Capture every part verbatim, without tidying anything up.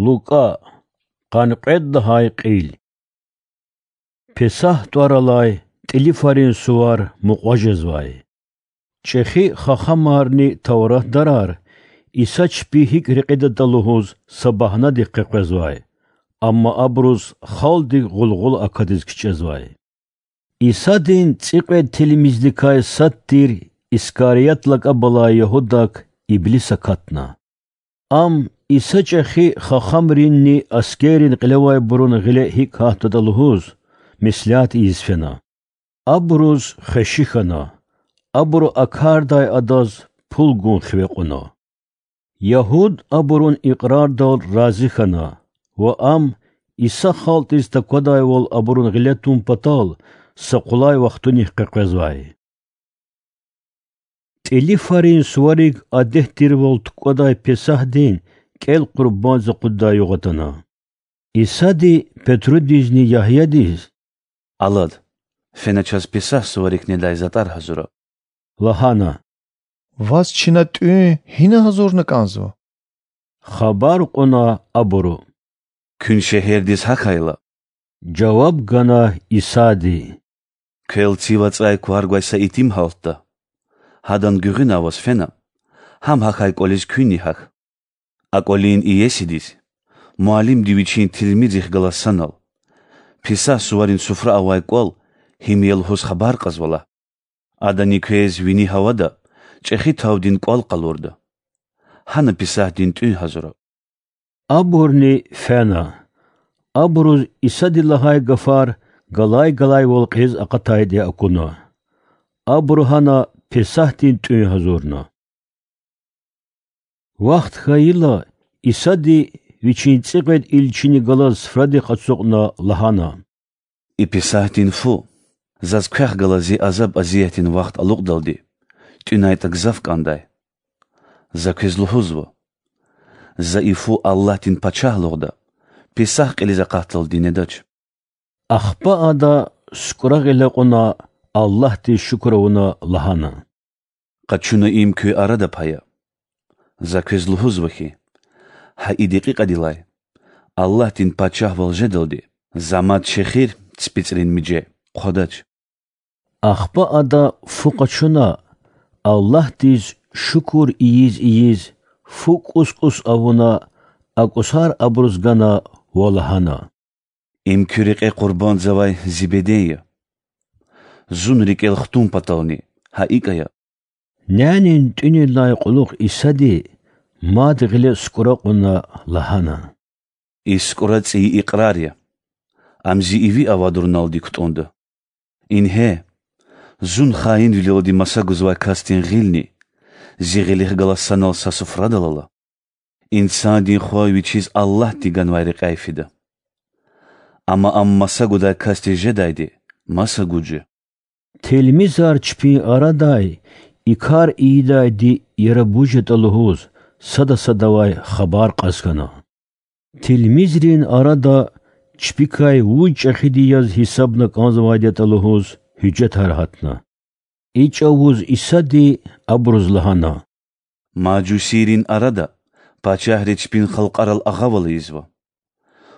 Лукӏа. Къанни кьвед лагьай кьил. Песагь тӏвар алай тӏилифарин сувар мукьва жезвай. Чӏехи хахамарни тавратдарар Иса чпи гьикӏ рекьидатӏа лугьуз са багьнадихъ къекъвезвай, амма абуруз халкьдик гъулгъула акатиз кичӏезвай. Исадин цӏикьвед тилмизликай сад тир Искарият лакӏаб алай Ягьудак Иблис акатна. Ам Иса чӏехи хахамринни аскеррин кьилевайбурун гъиле гьикӏ гьатдатӏа лугьуз меслят ийиз фена. Абуруз хвеши хьана, абуру а кардай адаз пул гун хиве кьуна. Ягьуд абурун икьрардал рази хьана ва ам Иса халкьдиз таквадайвал абурун гъиле тун патал са къулай вахтунихъ къекъвезвай. Тӏилифарин суварик адет тирвал тукӏвадай Песагьдин кӏел къурбандиз акъуддай югъ атана. Исади Петрудизни Ягьядиз: Алад, фена чаз Песагь суварик недай затӏар гьазура,— лагьана. Ваз чна тӏуьн гьина гьазурна кӏанзава? хабар кьуна абуру. Куьн шегьердиз гьахьайла,— жаваб гана Исади, квел цив ацӏай квар гвай са итим гьалтда. Гьадан гуьгъуьна аваз фена, гьам гьахьай кӏвализ куьнни гьахь. А кӏвалин иесидиз, муаллимди вичин тилмизрихъ галаз санал: Песагь суварин суфра авай кӏвал гьим я лугьуз хабар кьазва лагь. Адани квез вини гьавада чӏехи тавдин кӏвал къалурда. Гьана Песагьдин тӏуьн гьазура. Абурни фена. Абуруз Исади лагьай гафар галай-галайвал кьилиз акъатайди акуна. Абуру гьана Песагьдин тӏуьн гьазурна. Вахт хьайила, Исади Вичин цӏикьвед илчини галаз суфрадихъ ацукьна лагьана: И Песагьдин фу, заз квехъ галаз зи азаб-азиятдин вахт алукьдалди, тӏуьнайтӏа гзаф кӏандай. За квез лугьузва: за и фу Аллагьдин Пачагьлугъда Песагь кьилиз акъатдалди недач. Ахпа ада сукӏра гъиле кьуна, Аллагьдиз шукур авуна лагьана: Къачуна им куь арада пая. За квез лугьузва хьи, гьа и декьикьадилай Аллагьдин Пачагьвал жедалди за мад чехир ципицӏрин миже хъвадач. Ахпа ада фу къачуна, Аллагьдиз шукур ийиз-ийиз, фу кӏус-кӏус авуна, а кӏусар абуруз гана ва лагьана: Им куь рекье къурбандзавай зи беден я. Зун рикӏел хтун патални гьа икӏ ая. Нянин тӏуьнилай кьулухъ Исади мад гъиле сукӏра кьуна лагьана: И сукӏра цӏийи икьрар я. Ам зи иви авадуналди кутӏунда. Ингье, зун хаинвилелди маса гузвай касдин гъилни зи гъилихъ галаз санал са суфрадал ала. Инсандин Хва вичиз Аллагьди ганвай рекьяй фида. Амма ам маса гудай касдиз жедайди маса гуж я. Тилмизар чпин арадай и кар ийидайди яраб вуж ятӏа лугьуз сада садавай хабар кьаз хьана. Тилмизрин арада чпикай вуж чӏехиди яз гьисабна кӏанзавайди ятӏа лугьуз гьуьжетар гьатна. И чӏавуз Исади абуруз лагьана: Мажусийрин арада пачагьри чпин халкьарал агъавал ийизва.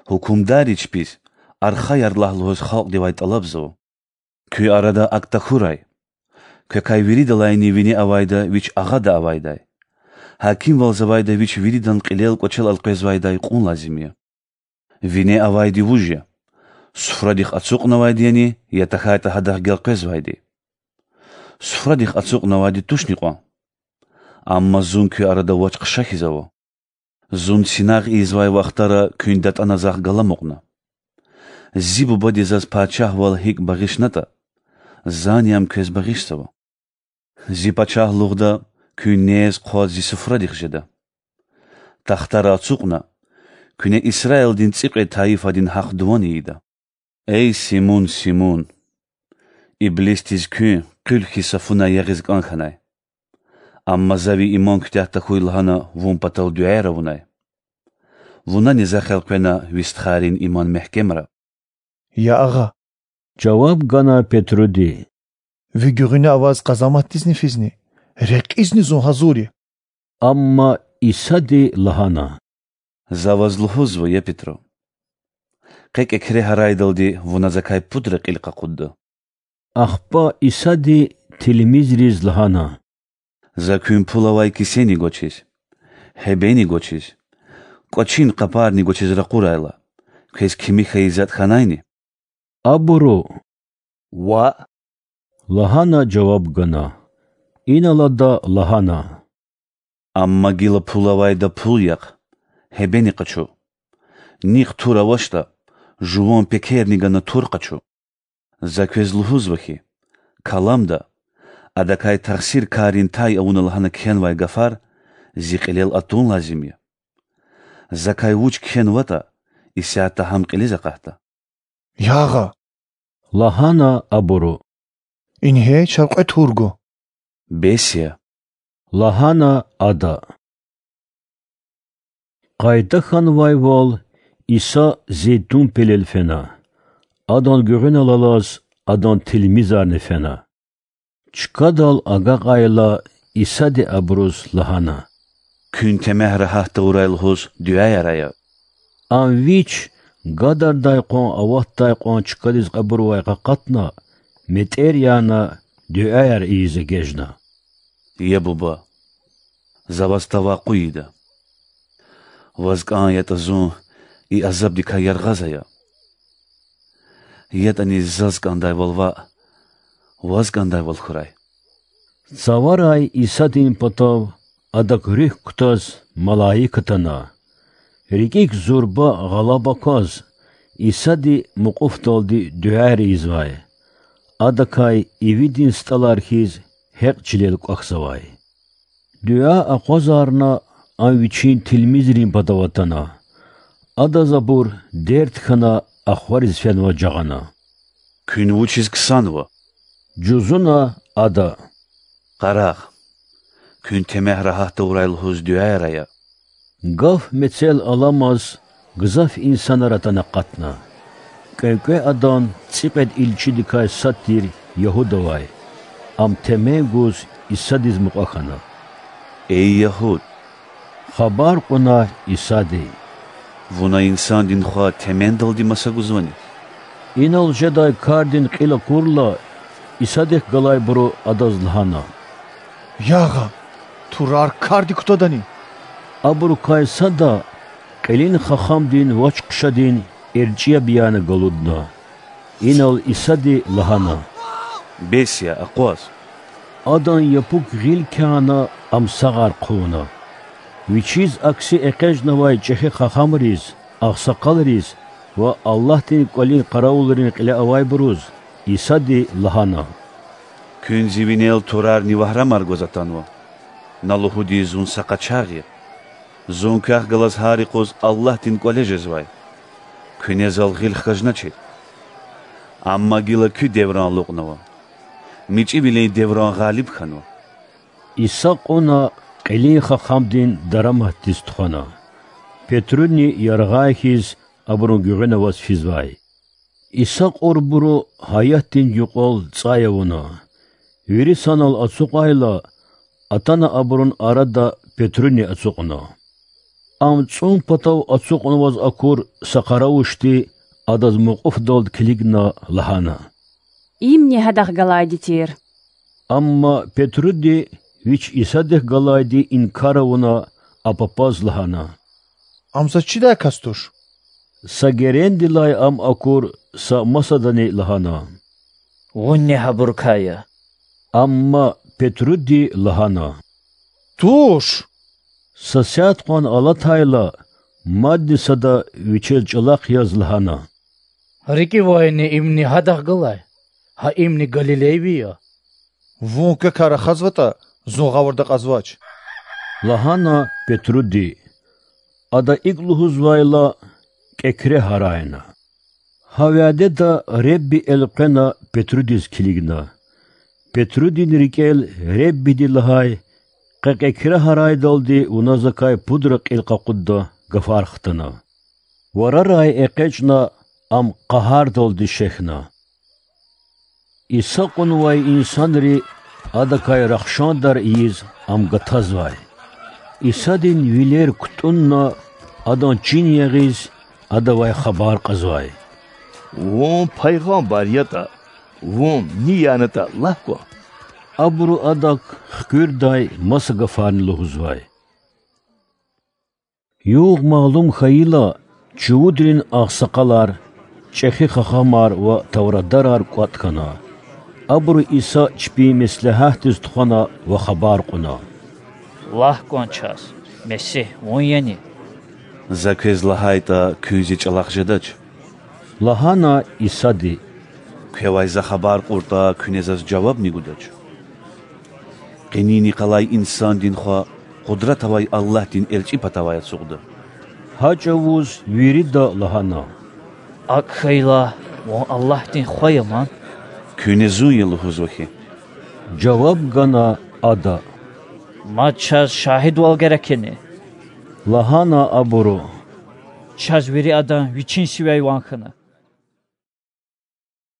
Гьукумдарри чпиз архаяр лагь лугьуз халкьдивай тӏалабзава. Куь арада акӏ тахьурай: квекай виридалайни вине авайда вич агъада авайдай, гьакимвалзавайда вич виридан кьилел-кӏвачел элкъвезвайдай кьун лазим я. Вине авайди вуж я: суфрадихъ ацукьнавайди яни, я тахьайтӏа гьадахъ гелкъвезвайди? Суфрадихъ ацукьнавайди тушни кьван? Амма зун куь арада вач-хъша хьиз ава. Зун синагъ ийизвай вахтара куьн датӏана захъ галамукьна. Зи Бубади заз пачагьвал гьикӏ багъишнатӏа, зани ам квез багъишзава. Зи пачагьлугъда куьн нез-хъваз зи суфрадихъ жеда. Тахтара ацукьна, куьне Исраилдин цӏикьвед тайифадин гьахъ-дуван ийида. Эй Симун, Симун! Иблисдиз куьн къуьл хьиз са фунай ягъиз кӏан хьанай. Амма за ви иман куьтягь тахьуй лагьана вун патал дуьаяр авунай. Вунани за хелкъвена ви стхайрин иман мягькемра. Я Агъа,— жаваб гана Петруди,— ви гуьгъуьна аваз къазаматдизни физни, рекьизни зун гьазур я. Амма Исади лагьана: За ваз лугьузва, я Петру: къе кӀекре гьарайдалди вуна Закай пудра кьил къакъудда. Ахпа Исади тилмизриз лагьана: За куьн пул авай кисени гвачиз, гьебени гвачиз, кӀвачин къапарни гвачиз ракъурайла, квез кими хьайи затӀ хьанайни? Абуру: Ваъ,— лагьана жаваб гана. Инал ада лагьана: Амма гила пул авайда пул яхъ, гьебени къачу. Нихъ тур авачтӀа, жуван пекерни гана тур къачу. За квез лугьузва хьи, каламда, адакай тахсир карин тай авуна лагьана кхьенвай гафар Зи кьилел атун лазим я. Закай вуч кхьенватӀа, исятда гьам кьилиз акъатда. Ягъа,— лагьана абуру. Ингье чав кьве тур гва. Бес я,— лагьана ада. Къайда хьанвайвал, Иса Зейтун пелел фена. Адан гуьгъуьнал алаз Адан тилмизарни фена. Чкадал агакьайла, Исади абуруз лагьана: Куьн темягь рагьат тавурай лугьуз дуьаяр ая. Ам Вич гадардай кьван аватдай кьван чкадиз кьабурвай къакъатна, метӀер яна, дуьаяр ийиз эгечӀна: Я Буба, За Ваз тавакъу ийида. Ваз кӀан ятӀа зун и азабдикай яргъаз ая. ЯтӀани заз кӀандайвал ваъ, Ваз кӀандайвал хьурай. Цаварай Исадин патав Адак руьгь кутаз малаик атана. РикӀик зурба гъалаб акваз, Исади мукьуфдалди дуьаяр ийизвай. Адакай ивидин стӀалар хьиз гьекь чилел кӀвахьзавай. Дуьа акъвазарна, Ам Вичин тилмизрин патав атана. Адаз абур дерт хьана, ахвариз фенваз жагъана. Куьн вучиз ксанва? жузуна Ада. Къарагъ, куьн темягь рагьат тавурай лугьуз дуьаяр ая. Гаф мецел аламаз гзаф инсанар атана акъатна. КӀвенкӀве адан цӀикьвед илчидикай сад тир Ягьуда авай. Ам темен гуз Исадиз мукьва хьана. Эй Ягьуд! хабар кьуна Исади. Вуна Инсандин Хва темендалди маса гузвани? Инал жедай кардин кьил акурла, Исадихъ галайбуру Адаз лагьана: Ягъа, турар кардик кутадани? Абурукай сада кьилин хахамдин вач-хъушадин эрчӀи яб яна галудна. Инал Исади лагьана: Бес я, акъваз. Адан япук гъил кяна, ам сагъар хъувуна. Вичиз акси экъечӀнавай чӀехи хахамриз, агъсакъалриз ва Аллагьдин кӀвалин къаравулрин кьиле авайбуруз Исади лагьана: Куьн Зи винел турарни вагьрамар гваз атанва. На лугьуди Зун са къачагъ я. Зун квехъ галаз гьар юкъуз Аллагьдин кӀвале жезвай. Куьне Зал гъил хкажначир. Амма гила куь девран алукьнава. МичӀивилин девран гъалиб хьанва. Иса кьуна кьилин хахамдин дараматдиз тухвана. Петруни яргъай хьиз абурун гуьгъуьна аваз физвай. Иса кьурбуру гьаятдин юкьвал цӀай авуна. Вири санал ацукьайла, атана абурун арада Петруни ацукьна. Ам цӀун патав ацукьнаваз акур са къаравушди Адаз мукьуфдалди килигна лагьана: Имни Гьадахъ галайди тир. Амма Петруди вич Исадихъ галайди инкар авуна, а папаз лагьана: Ам заз чидай кас туш. Са герендилай ам акур са масадани лагьана: Вунни гьабурукай я. Амма Петруди лагьана: Туш! Са сят кьван алатайла, мадни сада вичел чӀалахъ яз лагьана: РикӀивайни имни Гьадахъ галай, гьа имни галилейви я. Вун квекай рахазватӀа, зун гъавурда акьазвач,— лагьана Петруди. Ада икӀ лугьузвайла, кӀекре гьарайна. Гьа вядеда Худа элкъвена Петрудиз килигна. Петрудин рикӀел Худади лагьай: Къе кӀекре гьарайдалди вуна Закай пудра кьил къакъудда гафар хтана. Варарай экъечӀна, ам къагьардалди шехьна. Иса кьунвай инсанри Адакай рахшандар ийиз Ам гатазвай. Исадин вилер кутӀунна, Адан чин ягъиз, Адавай хабар кьазвай: Вун пайгъамбар ятӀа, Вун ни янатӀа лагь кван. Абуру Адак хкуьрдай маса гафарни лугьузвай. Югъ малум хьайила, чувудрин агъсакъалар, чӀехи хахамар ва тавратдарар кӀватӀ хьана. Абуру Иса чпин меслягьатдиз тухвана ва хабар кьуна: Лагь кван чаз, Месигь Вун яни? За квез лагьайтӀа, куьн Зи чӀалахъ жедач,– лагьана Исади. Квевай За хабар кьуртӀа, куьне Заз жавабни гудач. Къенин йикъалай Инсандин Хва Къудрат авай Аллагьдин эрчӀи патавай ацукьда. Гьа чӀавуз вирида лагьана: АкӀ хьайила, Вун Аллагьдин Хва я ман. Куьне Зун я лугьузва хьи,– жаваб гана Ада. Мад чаз шагьидвал герек яни? лагьана абуру. Чаз вири адан вичин сивяй ван хьана.